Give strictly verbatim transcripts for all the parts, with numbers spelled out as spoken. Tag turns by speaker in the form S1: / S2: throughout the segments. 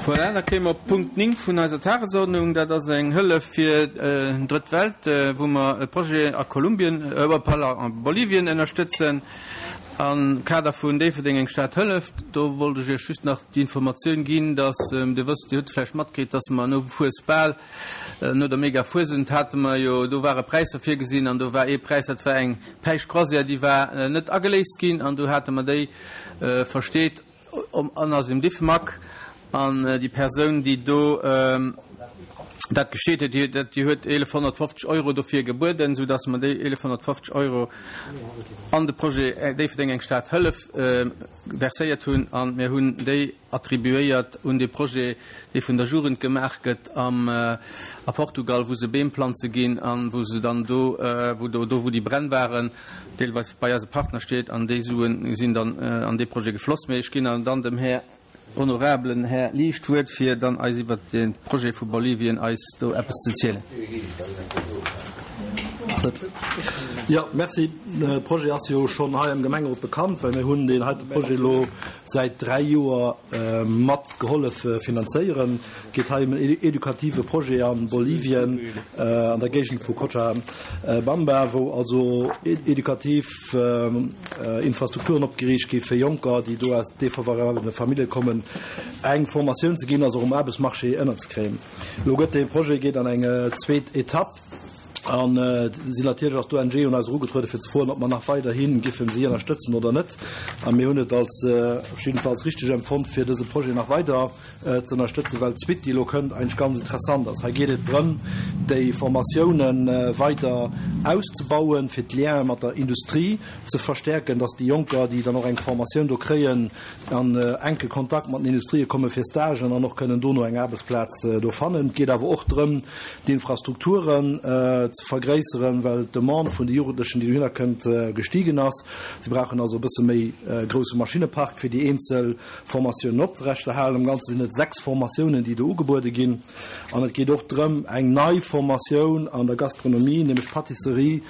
S1: Voilà, da kéime mer op Punkt néng vun eiser Tagesordnung. Dat ass eng Hëllef fir d'Drëtt Welt, wou mer e Projet a Kolumbien, pardon, a Bolivien ënnerstëtzen am Kader vun Déifferdeng eng Stad hëlleft. Do wollt ech Iech just nach déi Informatioun ginn, dass, Dir wësst, Dir hutt vläicht matkritt, dass mer no Fuesbal, no der Mega-Fuesent hate mer jo, do ware Präisser virgesinn an do war ee Präis, dat war eng Päischt-Croisière, déi war net ageléist ginn an do hate mer déi versteet an ass im Diffmag. An déi Persoun, déi do dat gesteet huet, déi huet eelefhonnertfofzeg Euro dofir gebueden, soudass mer déi eelefhonnertfofzeg Euro an de Projet Déifferdeng eng Stad hëllef verséiert hunn. A mir hunn déi attribuéiert un dee Projet, dee vun der Jugend gemaach gëtt am a Portugal, wou se Beem planze ginn a wou se dann do, wou do, do wou déi Bränn waren, deelweis bei eise Partnerstied. An déi Suen sinn dann an dee Projet gefloss. Mee ech ginn dann dem Här honorablen Här Liesch d'Wuert, fir dann eis iwwert de Projet vu Bolivien eis do eppes ze zielen.
S2: Jo, merci. De Projet ass jo schonn hei am Gemengerot bekannt, well mir hunn deen heite Projet elo säit dräi Joer mat gehollef finanzéieren. Et geet hei ëm en edukative Projet a Bolivien, an der Géigend vu Cochabamba, wou also edukativ Infrastrukturen opgeriicht gi fir Jonker, déi do aus defavorabele Famillje kommen, eng Formatioun ze ginn a se och um Aarbechtsmarché ënnerzekréien. Elo gëtt dee Projet geet an eng zweet Etapp an sinn natierlech ass d'O N G un eis erugetruede fir ze froen, ob mer nach weiderhi giffen si ënnerstëtzen oder net. A mir hunn et als op jiddefalls richteg empfonnt, fir dëse Projet nach weider ze ënnerstëtzen, well d'Suite, déi elo kënnt, eigentlech ganz interessant ass. Hei geet et drëm, déi Formatiounen weider auszebauen, fir d'Liene mat der Industrie ze verstärken, dass déi Jonker, déi dann och eng Formatioun do kréien, an enke Kontakt mat den Industrië komme fir Stagen an och kënnen dono eng Aarbechtsplaz do fannen. Et geet awer och drëm, d'Infrastrukturen ze vergréisseren, well d'Demande vun de Jugendlechen, déi dohinner kënnt, gestiegen ass. Si brauchen also e bësse méi grousse Maschinnepark, fir déi eenzel Formatiounen oprechterhalen. Am Ganze sinn et sechs Formatiounen, déi do ugebuede ginn. An et geet och drëm, eng nei Formatioun an der Gastronomie, nämlech Pâtisserie,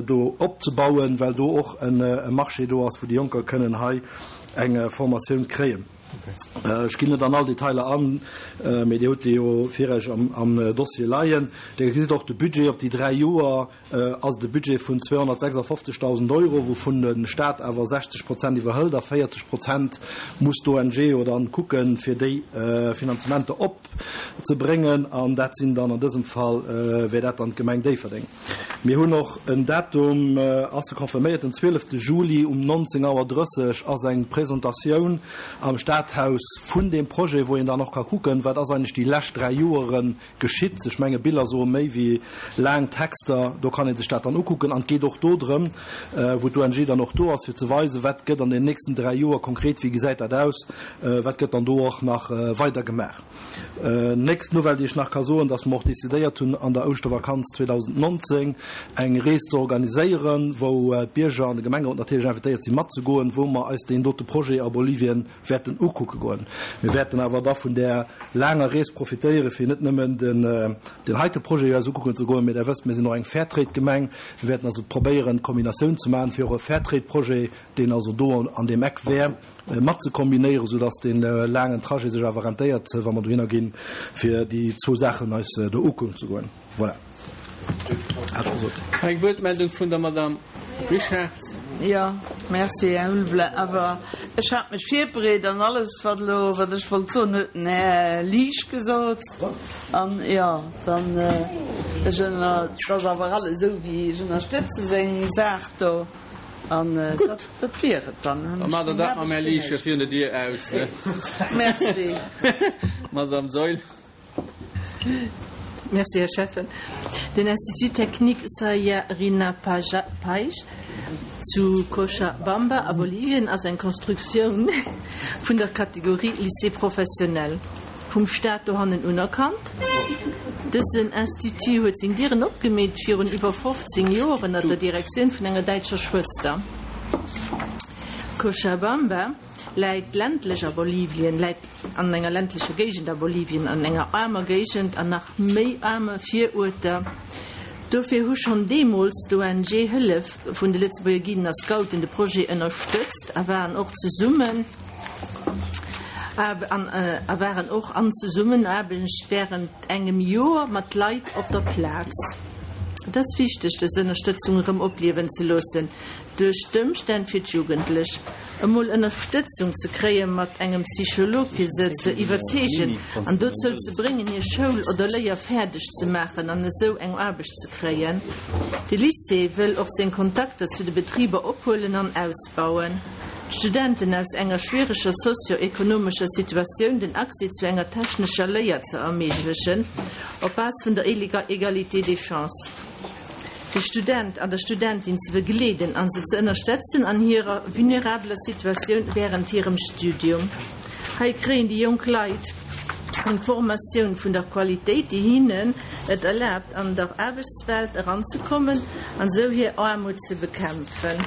S2: do opzebauen, well do och e Marché do ass, wou déi Jonker kënnen hei eng Formatioun kréien. Ech ginn net an all Detailer an, mee Dir hutt déi jo vir Iech am Dossier leien. Dir gesitt och de Budget op déi dräi Joer ass et e Budget vun zweehonnertsechsundfünfzigtausend Euro, wouvun de Staat awer sechzeg Prozent iwwerhëlt a véierzeg Prozent muss d'O N G jo dann kucken, fir déi Finanzementer opzebréngen. An dat sinn dann an dësem Fall wär dat dann d'Gemeng Déifferdeng. Mir hunn och en Datum, ass confirméiert, den zwielefte Juli um neunzehn Auer drësseg ass eng Presentatioun am Stadhaus vun dem Projet, wou een dann och ka kucken, wat ass eigentlech déi lescht dräi Joere geschitt. Ech menge Biller soe méi wéi laang Texter, do kann ee sech dat dann ukucken. An et geet och do drëm, wou d'O N G dann och do ass, fir ze weisen, wat gëtt an den nächsten dräi Joer konkret, wéi gesäit dat aus, wat gëtt dann do och nach weider gemaach. Nächst Nouvelle, déi ech nach ka soen, dass mer och decidéiert hunn, an der Ouschtervakanz zweedausendneunzehn eng Rees ze organiséieren, wou d'Bierger an de Gemengerot natierlech invitéiert sinn matzegoen, wou mer eis deen dote Projet a Bolivien wäerten ukucke goen. Mir wäerten awer da vun där laanger Rees profitéieren, fir net nëmmen den, den heite Projet eis ukucken ze goen, mee Der wësst, mir sinn och eng Fairtrade-Gemeng. Mir wäerten also probéieren, d'Kombinatioun ze maachen, fir och e Fairtrade-Projet, deen also do an deem Eck wär, mat ze kombinéieren, soudass dee laangen Trajet sech awer rentéiert, wa mer dohinner ginn, fir déi zwou Saachen eis do ukucken ze goen. Voilà. Hat scho gesot.
S1: Eng Wuertmeldung vun der Madame Richard.
S3: Jo, merci, Här Ulveling. Awer ech hat mech virbereet an alles, wat elo, wat ech wollt soen, huet den Här Liesch gesot. An jo, dann, ech ënner, et ass awer alles esou, wéi ech ënnerstëtze seng Saach do. An dat, dat wier et dann.
S1: Da maacht Der dat mam Här Liesch virun der Dier aus, ne?
S3: Merci.
S1: Madame Saeul.
S4: Merci, Här Schäffen. Den Institut Technique Sayarinapaj zu Cochabamba a Bolivien ass eng Konstruktioun vun der Kategorie Lycée professionnel vum Staat dohannen unerkannt. Dësen Institut huet seng Dieren opgemeet virun iwwer fofzéng Joer ënner der Direktioun vun enger däitscher Schwëster. Cochabamba läit ländlech a Bolivien, läit an enger ländlecher Géigend a Bolivien, an enger aarmer Géigend an nach méi aarme Viruerter. Dofir hu schonn deemools d'O N G Hëllef vun de Lëtzebuerger Guiden a Scouten de Projet ënnerstëtzt a waren och zesumme a waren och an Zesummenaarbecht wärend engem Joer mat Leit op der Plaz. Et ass wichteg, dës Ënnerstëtzung erëm opliewen ze loossen duerch d'Ëmstänn fir d'Jugendlech emol Ënnerstëtzung ze kréie mat engem Psycholog fir se ze iwwerzeegen an dozou ze bréngen hir Schoul oder Léier fäerdeg ze maachen an esou eng Aarbecht ze kréien. De Lycée wëll och seng Kontakter zu de Betriber ophuelen an ausbauen. D'Studenten aus enger schwiereger sozio-ekonomescher Situatioun den Accès zu enger technescher Léier ze erméiglechen, op Base vun der Égalité des chances. De Student an der Studentin ze begleeden an se ze ënnerstëtzen an hirer vulnerabeler Situatioun wärend hirem Studium. Hei kréien déi jonk Leit eng Formatioun vun der Qualitéit, déi hinnen et erlaabt, an der Aarbechtswelt eranzekommen an esou hir Aarmut ze bekämpfen.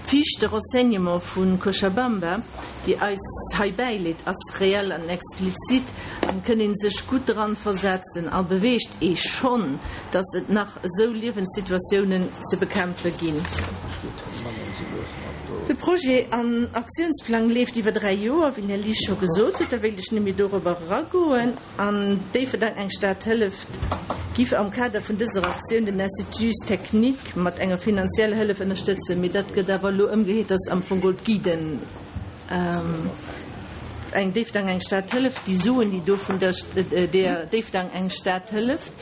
S4: D'Fiche de renseignement vu Cochabamba, déi eis hei bäileet, ass reell an explizit an kënn ee sech gutt dran versetzen a beweegt ee schonn, dass et nach esou Liewenssituatiounen ze bekämpfe ginn. De Projet an Aktiounsplang leeft iwwer dräi Joer, wéi den Här Liesch scho gesot huet. Da wéilt ech net méi dorobber eragoen. An Déifferdeng eng Stad hëlleft giff am Kader vun dëser Aktioun den Institut technique mat enger finanzieller Hëllef ënnerstëtzen. Mee dat gëtt awer elo ëmgeheet, dass am Fong geholl d'Guiden eng Déifferdeng eng Stad hëlleft, déi Suen, déi do vun der der Déifferdeng eng Stad hëlleft,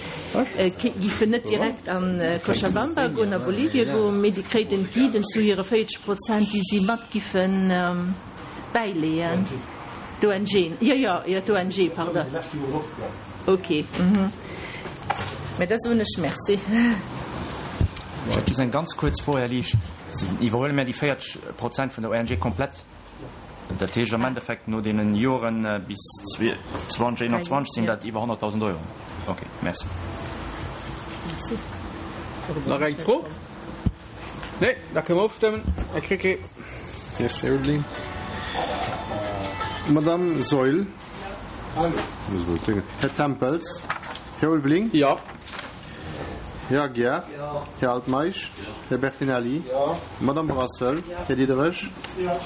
S4: giffen net direkt a Cochabamba goen, a Bolivien goen, mee déi kréiten d'Guiden zu hire véierzeg Prozent, déi si mat giffen bäileeën. D'ONG, jo, jo, jo, d'ONG, pardon. Ok, mä da soen ech Merci.
S5: Ech hätt just eng ganz kuerz Fro, Här Liesch. Iwwerhuele mär déi véierzeg Prozent vun der ONG komplett? Dat heescht am Endeffekt no deenen Joren bis zweitausendzweiundzwanzeg sinn dat iwwer honnertdausend Euro. Ok, merci.
S1: Nach eng Fro? Nee, da kënne mer ofstëmmen. Här Krecké.
S6: Merci, Här Ulveling. Madame Saeul. Här Tempels. Här Ulveling.
S1: Jo.
S6: Här Aguiar. Här Altmeisch. Här Bertinelli. Madame Brassel. Här Diderich.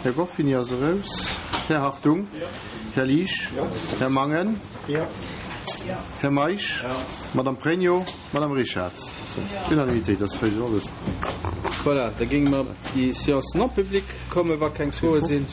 S6: Här Goffini ass eraus. Här Hartung. Här Liesch. Här Mangen. Här Meisch. Madame Pregno. Madame Richarz. Unanimitéit, dat ass jo alles.
S1: Voilà, da géinge mer op déi Séance non publique kommen, wa keng Froe sinn.